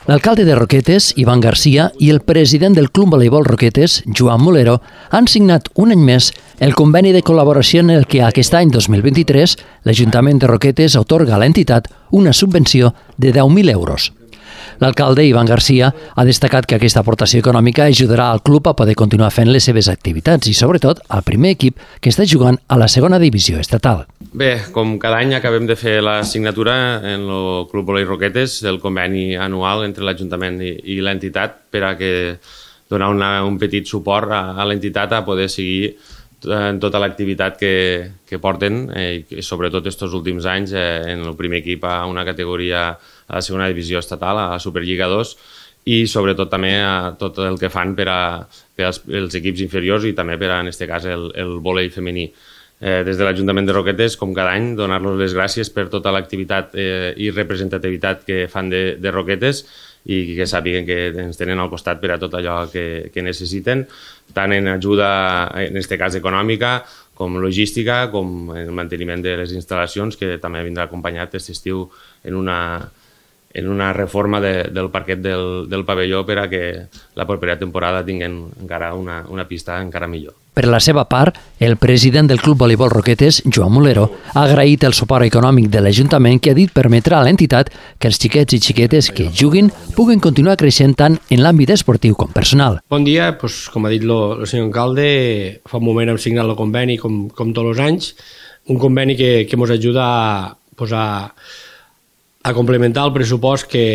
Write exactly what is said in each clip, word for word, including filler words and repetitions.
L'alcalde de Roquetes, Ivan Garcia, i el president del Club Voleibol Roquetes, Joan Molero, han signat un any més el conveni de col·laboració en el que aquest any dos mil vint-i-tres l'Ajuntament de Roquetes atorga a l'entitat una subvenció de deu mil euros. L'alcalde, Ivan Garcia, ha destacat que aquesta aportació econòmica ajudarà al club a poder continuar fent les seves activitats i, sobretot, al primer equip que està jugant a la segona divisió estatal. Bé, com cada any acabem de fer la signatura en el Club Voleibol Roquetes del conveni anual entre l'Ajuntament i, i l'entitat per a que donar una, un petit suport a, a l'entitat a poder seguir en tota l'activitat que, que porten eh, i sobretot aquests últims anys eh, en el primer equip a una categoria a la segona divisió estatal, a la Superliga dos i sobretot també a tot el que fan per, a, per als els equips inferiors i també per a, en aquest cas, el, el vòlei femení. Eh, des de l'Ajuntament de Roquetes, com cada any, donar-los les gràcies per tota l'activitat eh, i representativitat que fan de, de Roquetes i que sàpiguen que ens tenen al costat per a tot allò que, que necessiten, tant en ajuda, en aquest cas econòmica, com logística, com en el manteniment de les instal·lacions, que també vindrà acompanyat aquest estiu en una, en una reforma de, del parquet del, del pavelló per a que la propera temporada tinguin encara una, una pista encara millor. Per la seva part, el president del Club Voleibol Roquetes, Joan Molero, ha agraït el suport econòmic de l'Ajuntament que ha dit permetrà a l'entitat que els xiquets i xiquetes que juguin puguen continuar creixent tant en l'àmbit esportiu com personal. Bon dia, doncs, com ha dit el senyor alcalde, fa un moment hem signat el conveni com, com tots els anys, un conveni que, que ens ajuda a, pues, a, a complementar el pressupost que,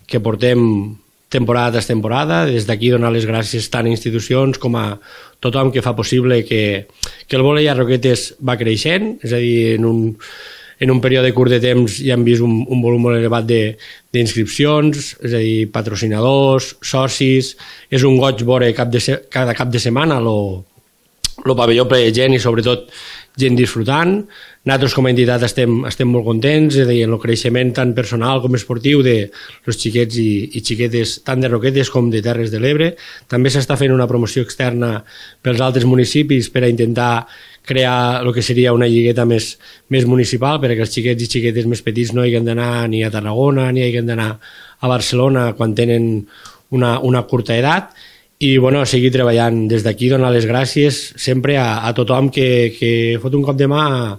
que portem temporada tras temporada. Des d'aquí donar les gràcies tant a institucions com a tothom que fa possible que, que el vòlei a Roquetes va creixent, és a dir, en un, en un període curt de temps ja hem vist un, un volum molt elevat d'inscripcions, és a dir, patrocinadors, socis, és un goig veure cap de se, cada cap de setmana el pavelló ple de gent i sobretot gent disfrutant. Nosaltres com a entitat estem, estem molt contents, és a dir, en el creixement tant personal com esportiu de els xiquets i, i xiquetes tant de Roquetes com de Terres de l'Ebre. També s'està fent una promoció externa pels altres municipis per a intentar crear el que seria una lligueta més, més municipal perquè els xiquets i xiquetes més petits no hagin d'anar ni a Tarragona ni hagin d'anar a Barcelona quan tenen una, una curta edat. I bueno, seguir treballant des d'aquí, donar les gràcies sempre a, a tothom que, que fot un cop de mà a,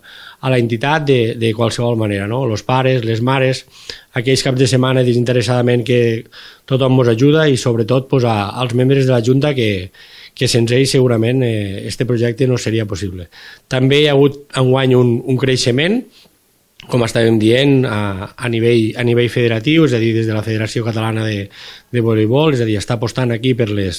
a la entitat de, de qualsevol manera, no? Els pares, les mares, aquells caps de setmana desinteressadament que tothom ens ajuda i sobretot pues, a, als membres de la Junta que, que sense ells segurament eh, este projecte no seria possible. També hi ha hagut enguany un, un creixement, com estàvem dient, a, a, nivell, a nivell federatiu, és a dir, des de la Federació Catalana de, de Voleibol, és a dir, està apostant aquí per les,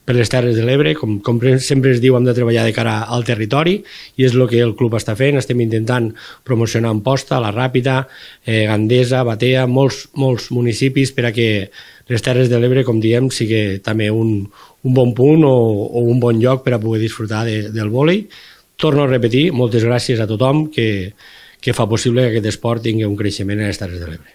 per les Terres de l'Ebre, com, com sempre es diu, hem de treballar de cara al territori, i és el que el club està fent. Estem intentant promocionar Amposta, La Ràpita, eh, Gandesa, Batea, molts, molts municipis per a que les Terres de l'Ebre, com diem, sigui també un, un bon punt o, o un bon lloc per a poder disfrutar de, del vòlei. Torno a repetir, moltes gràcies a tothom que que fa possible que aquest esport tingui un creixement a les Terres de l'Ebre.